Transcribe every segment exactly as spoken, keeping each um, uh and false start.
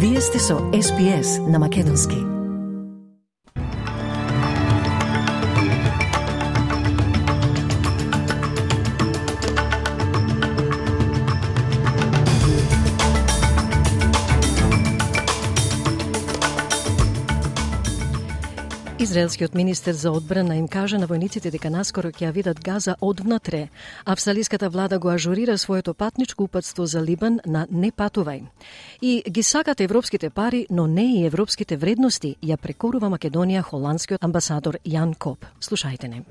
Вие сте со Ес Би Ес на Македонски. Израелскиот министер за одбрана им кажа на војниците дека наскоро ќе ја видат Газа одвнатре. Австралиската влада го ажурира своето патничко упатство за Либан на не патувај. И ги сакат европските пари, но не и европските вредности, ја прекорува Македонија холандскиот амбасадор Јан Коп. Слушајте не.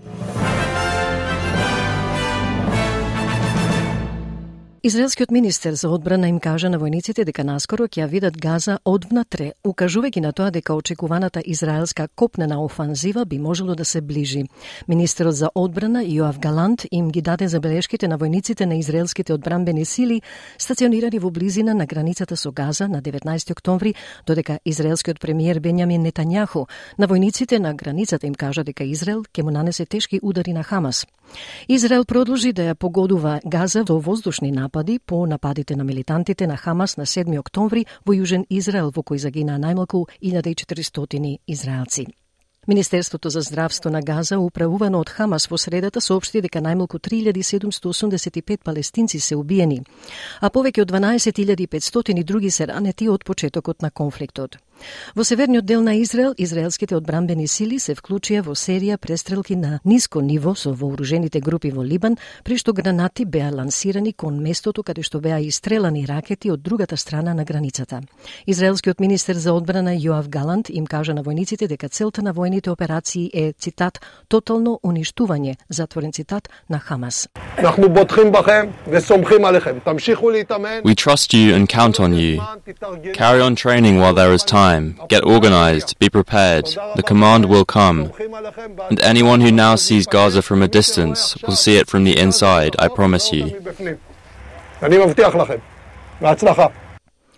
Израелскиот министер за одбрана им кажа на војниците дека наскоро ќе ја видат Газа одвнатре, укажувајќи на тоа дека очекуваната израелска копнена офанзива би можело да се ближи. Министерот за одбрана Јоав Галант им ги даде забелешките на војниците на израелските одбранбени сили стационирани во близина на границата со Газа на деветнаесети октомври, додека израелскиот премиер Бенјамин Нетањаху на војниците на границата им кажа дека Израел ќе му нанесе тешки удари на Хамас. Израел продолжи да ја погодува Газа во воздушни напади по нападите на милитантите на Хамас на седми октомври во Јужен Израел, во кој загинаа најмалку илјада и четиристотини израелци. Министерството за здравство на Газа, управувано од Хамас во средата, соопшти дека најмалку три илјади седумстотини осумдесет и пет палестинци се убиени, а повеќе од дванаесет илјади и петстотини други се ранети од почетокот на конфликтот. Во северниот дел на Израел, израелските одбранбени сили се вклучија во серија престрелки на ниско ниво со вооружените групи во Либан, при што гранати беа лансирани кон местото каде што беа истрелани ракети од другата страна на границата. Израелскиот министер за одбрана Јоав Галант им кажа на војниците дека целта на војните операции е, цитат, тотално уништување, затворен цитат, на Хамас. We trust you and count on you. Carry on training while there is time. Get organized, be prepared. The command will come. And anyone who now sees Gaza from a distance will see it from the inside, I promise you.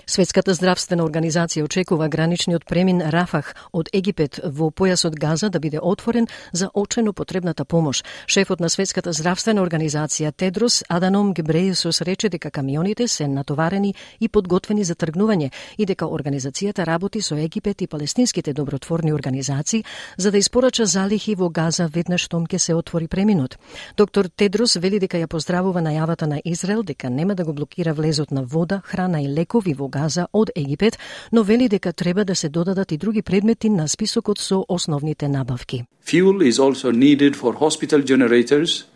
Светската здравствена организација очекува граничниот премин Рафах од Египет во појасот Газа да биде отворен за очено потребната помош. Шефот на Светската здравствена организација Тедрос Аданом Гебрејесус рече дека камионите се натоварени и подготвени за тргнување и дека организацијата работи со Египет и палестинските добротворни организации за да испорача залихи во Газа веднаш штом ќе се отвори преминот. Доктор Тедрос вели дека ја поздравува најавата на Израел дека нема да го блокира влезот на вода, храна и лекови во Газа од Египет, но вели дека треба да се додадат и други предмети на списокот со основните набавки. Fuel is also needed for hospital generators,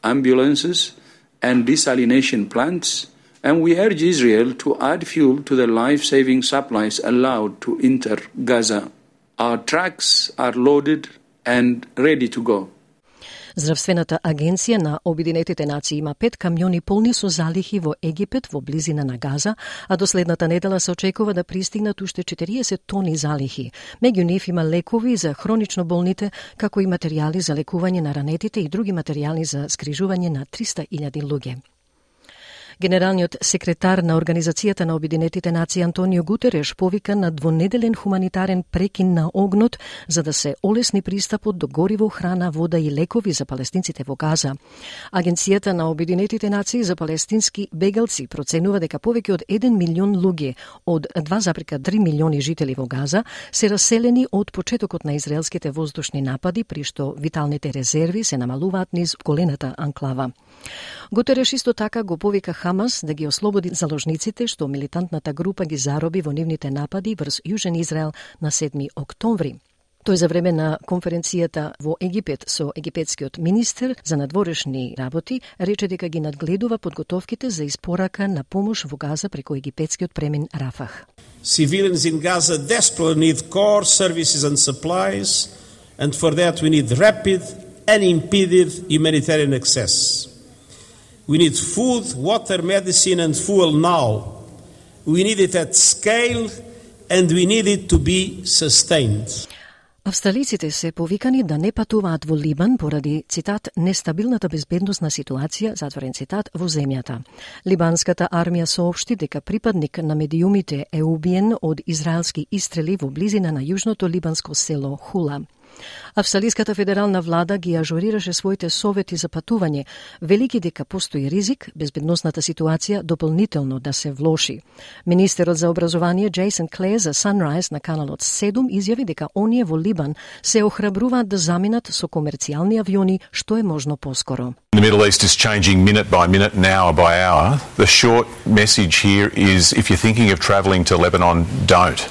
ambulances and desalination plants, and we urge Israel to add fuel to the life-saving supplies allowed to enter Gaza. Our trucks are loaded and ready to go. Здравствената агенција на Обединетите нации има пет камиони полни со залихи во Египет во близина на Газа, а до следната недела се очекува да пристигнат уште четириесет тони залихи. Меѓу нив има лекови за хронично болните, како и материјали за лекување на ранетите и други материјали за скрижување на триста илјади луѓе. Генералниот секретар на Организацијата на Обединетите нации Антонио Гутереш повика на двонеделен хуманитарен прекин на огнот за да се олесни пристапот до гориво, храна, вода и лекови за палестинците во Газа. Агенцијата на Обединетите нации за палестински бегалци проценува дека повеќе од еден милион луѓе од два зарез и три милиони жители во Газа се раселени од почетокот на израелските воздушни напади, при што виталните резерви се намалуваат низ голената анклава. Гутереш исто така го повика Хамас да ги ослободи заложниците што милитантната група ги зароби во нивните напади врз Јужен Израел на седми октомври. Тој за време на конференцијата во Египет со египетскиот министер за надворешни работи рече дека ги надгледува подготовките за испорака на помош во Газа преку египетскиот премин Рафах. Civilians in Gaza desperately need core services and supplies, and for that we need rapid, unimpeded humanitarian access. We need food, water, medicine and fuel now. We need it at scale and we need it to be sustained. Австралиците се повикани да не патуваат во Либан поради, цитат, нестабилната безбедносна ситуација, затворен цитат, во земјата. Либанската армија соопшти дека припадник на медиумите е убиен од израелски истрели во близина на јужното либанско село Хула. Австралиската федерална влада ги ажурираше своите совети за патување, велики дека постои ризик безбедносната ситуација дополнително да се влоши. Министерот за образование Джейсон Клеер за Sunrise на каналот седум изјави дека оние во Либан се охрабруваат да заминат со комерцијални авиони што е можно поскоро. The Middle East is changing minute by minute, and hour by hour. The short message here is if you're thinking of travelling to Lebanon, don't.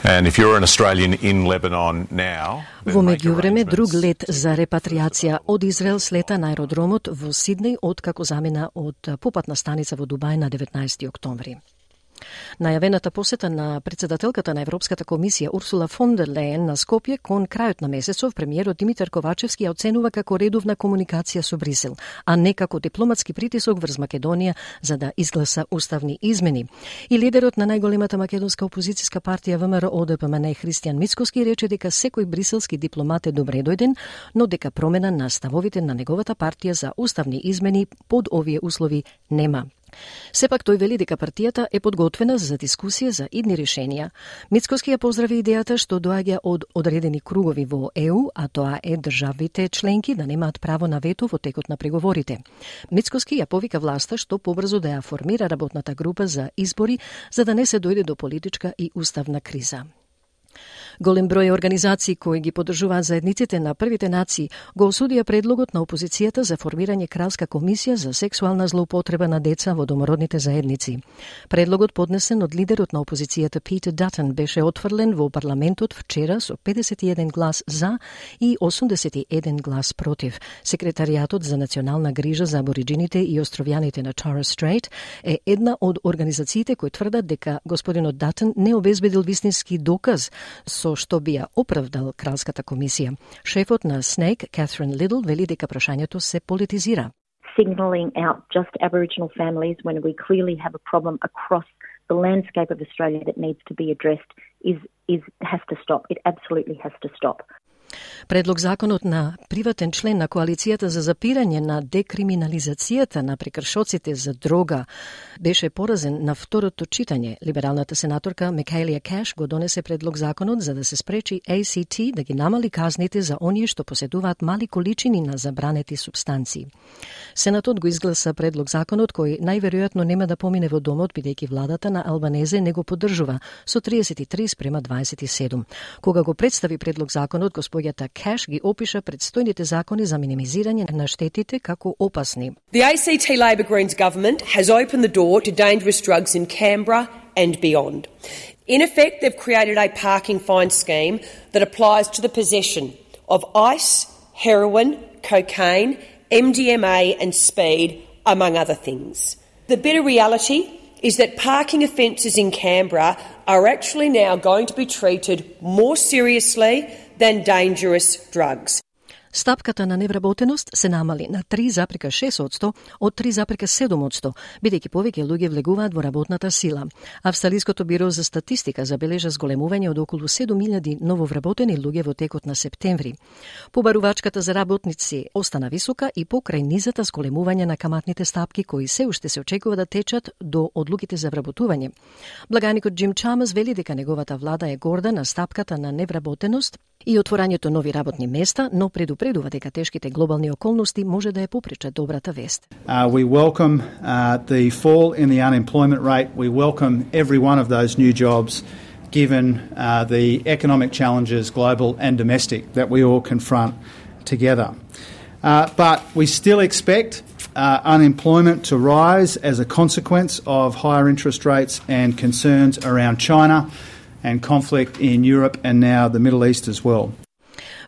And if you're an Australian in Lebanon now, во меѓувреме друг лет за репатриација од Израел слета на аеродромот во Сиднеј откако замина од попатна станица во Дубај на деветнаесети октомври. Најавената посета на председателката на Европската комисија Урсула фон дер Лејен на Скопје кон крајот на месецов премиерот Димитар Ковачевски ја оценува како редовна комуникација со Брисел, а не како дипломатски притисок врз Македонија за да изгласа уставни измени. И лидерот на најголемата македонска опозицијска партија ВМРО О Д П М Н Христијан Мицкоски рече дека секој бриселски дипломат е добре дојден, но дека промена на ставовите на неговата партија за уставни измени под овие услови нема. Сепак тој вели дека партијата е подготвена за дискусија за идни решенија. Мицкоски ја поздрави идејата што доаѓа од одредени кругови во Е У, а тоа е државите членки да немаат право на вето во текот на преговорите. Мицкоски ја повика власта што побрзо да ја формира работната група за избори за да не се дојде до политичка и уставна криза. Голем број организации кои ги поддржуваат заедниците на првите нации го осудија предлогот на опозицијата за формирање кралска комисија за сексуална злоупотреба на деца во домородните заедници. Предлогот поднесен од лидерот на опозицијата Питер Датън беше отфрлен во парламентот вчера со педесет и еден глас за и осумдесет и еден глас против. Секретаријатот за национална грижа за абориджините и островјаните на Торres Strait е една од организациите кои тврдат дека господинот Датън не обезбедил вистински доказ со што би ја оправдал кралската комисија. Шефот на снејк, Катрин Лидл, вели дека прашањето се политизира. Signaling out just Aboriginal families when we clearly have a problem across the landscape of Australia that needs to be addressed is is has to stop. It absolutely has to stop. Предлог законот на приватен член на коалицијата за запирање на декриминализацијата на прекршоците за дрога беше поразен на второто читање. Либералната сенаторка Микаелија Кеш го донесе предлог законот за да се спречи А Ц Т да ги намали казните за оние што поседуваат мали количини на забранети субстанции. Сенатот го изгласа предлог законот кој најверојатно нема да помине во домот бидејќи владата на Албанезе не го поддржува со триесет и три спрема дваесет и седум. Кога го представи предлог законот, господјата Кеш ги опиша предстојните закони за минимизирање на штетите како опасни. The A C T Labor Greens government has opened the door to dangerous drugs in Canberra and beyond. In effect, they've created a parking fine scheme that applies to the possession of ice, heroin, cocaine, M D M A and speed, among other things. The bitter reality is that parking offences in Canberra are actually now going to be treated more seriously than dangerous drugs. Стапката на невработеност се намали на три запирка шест одсто од три запирка седум одсто, бидејќи повеќе луѓе влегуваат во работната сила. Австралиското биро за статистика забележа зголемување од околу седум илјади нововработени луѓе во текот на септември. Побарувачката за работници остана висока и покрај низата зголемување на каматните стапки кои се уште се очекува да течат до одлуките за вработување. Благаникот Джим Чамас вели дека неговата влада е горда на стапката на невработеност и отворањето нови работни места, но предупредува дека тешките глобални околности може да ја попречат добрата вест. Uh, we welcome uh, the fall in the unemployment rate. We welcome every one of those new jobs given uh, the economic challenges, global and domestic, that we all confront together. Uh, but we still expect uh, unemployment to rise as a consequence of higher interest rates and concerns around China and conflict in Europe and now the Middle East as well.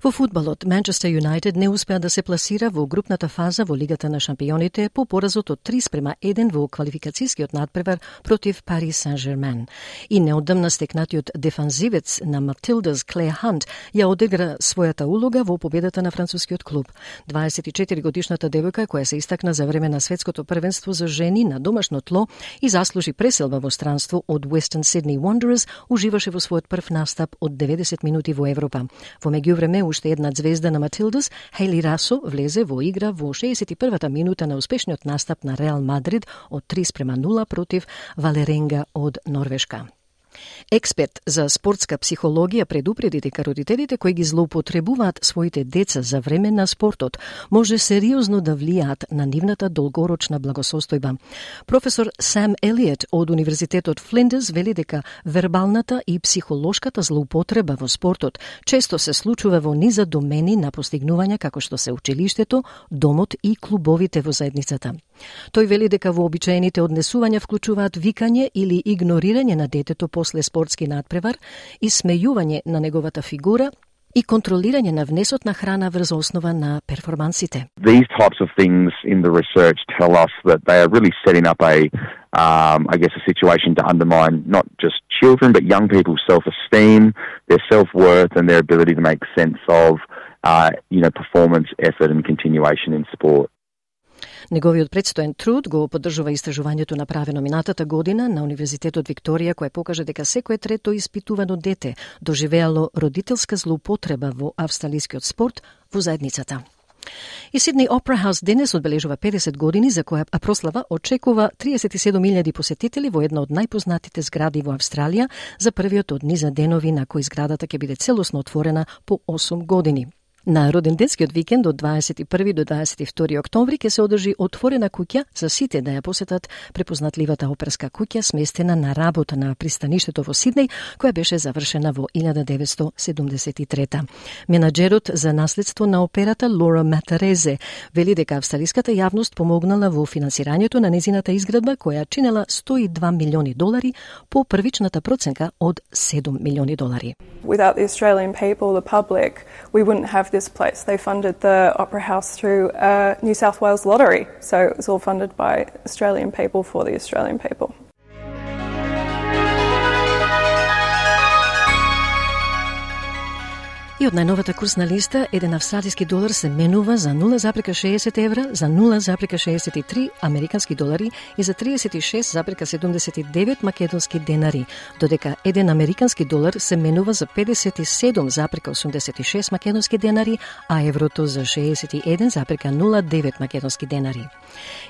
Во фудбалот, Манчестер Юнайтед не успеа да се пласира во групната фаза во Лигата на шампионите по поразот од три спрема еден во квалификацијскиот надпревар против Пари Сен-Жермен. И неодамна стекнатиот дефанзивец на Матилдас Клеј Хант ја одигра својата улога во победата на францускиот клуб. дваесет и четири годишната девојка која се истакна за време на светското првенство за жени на домашно тло и заслужи преселба во странство од Western Sydney Wanderers, уживаше во својот прв настап од деветдесет минути во Европа. Во меѓувреме уште една звезда на Матилдас, Хейли Расо, влезе во игра во шеесет и првата минута на успешниот настап на Реал Мадрид од три спрема нула против Валеренга од Норвешка. Експерт за спортска психологија предупреди дека родителите кои ги злоупотребуваат своите деца за време на спортот може сериозно да влијаат на нивната долгорочна благосостојба. Професор Сам Елиот од Универзитетот Флиндерс вели дека вербалната и психолошката злоупотреба во спортот често се случува во низа домени на постигнувања како што се училиштето, домот и клубовите во заедницата. Тој вели дека вообичаените однесувања вклучуваат викање или игнорирање на детето после спортски надпревар, исмејување на неговата фигура и контролирање на внесот на храна врз основа на перформансите. These types of things in the research tell us that they are really setting up a, um, I guess, a situation to undermine not just children but young people's self-esteem, their self-worth and their ability to make sense of, uh, you know, performance, effort and continuation in sport. Неговиот предстоен труд го поддржува истражувањето направено минатата година на Универзитетот Викторија, кое покажа дека секое трето испитувано дете доживеало родителска злоупотреба во австралискиот спорт во заедницата. И Сидни Опера Хаус денес одбележува педесет години, за која прослава очекува триесет и седум илјади посетители во една од најпознатите згради во Австралија за првиот од низа денови на кои зградата ќе биде целосно отворена по осум години. На роденденскиот викенд од дваесет и први до дваесет и втори октомври ќе се одржи отворена куќа за сите да ја посетат препознатливата оперска куќа сместена на работа на пристаништето во Сиднеј, која беше завршена во илјада деветстотини седумдесет и трета. Менаџерот за наследство на операта Лора Матарезе вели дека австралиската јавност помогнала во финансирањето на незината изградба, која чинела сто и два милиони долари по првичната проценка од седум милиони долари. Without the Australian people, the public, we wouldn't have this place. They funded the Opera House through a New South Wales lottery, so it was all funded by Australian people for the Australian people. И од најновата курсна листа, еден австралиски долар се менува за нула запрека шеесет евра, за нула запрека шеесет и три американски долари и за триесет и шест запрека седумдесет и девет македонски денари, додека еден американски долар се менува за педесет и седум запрека осумдесет и шест македонски денари, а еврото за шеесет и еден запрека нула девет македонски денари.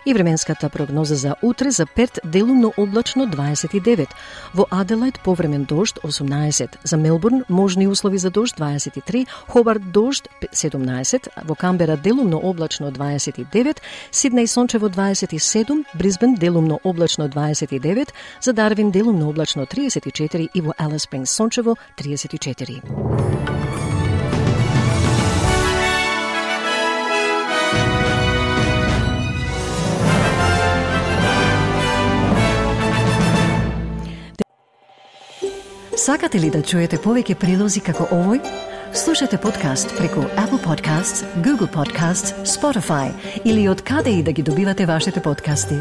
И временската прогноза за утре: за Перт делумно облачно дваесет и девет, во Аделајд повремен дожд осумнаесет, за Мелбурн можни услови за дожд дваесет и три, Хобарт дожд седумнаесет, во Камбера делумно облачно дваесет и девет, Сиднеј сончево дваесет и седум, Брисбен делумно облачно дваесет и девет, за Дарвин делумно облачно триесет и четири и во Алис Спрингс сончево триесет и четири. Сакате ли да чуете повеќе прилози како овој? Слушате подкаст преку Apple Podcasts, Google Podcasts, Spotify или од каде и да ги добивате вашите подкасти.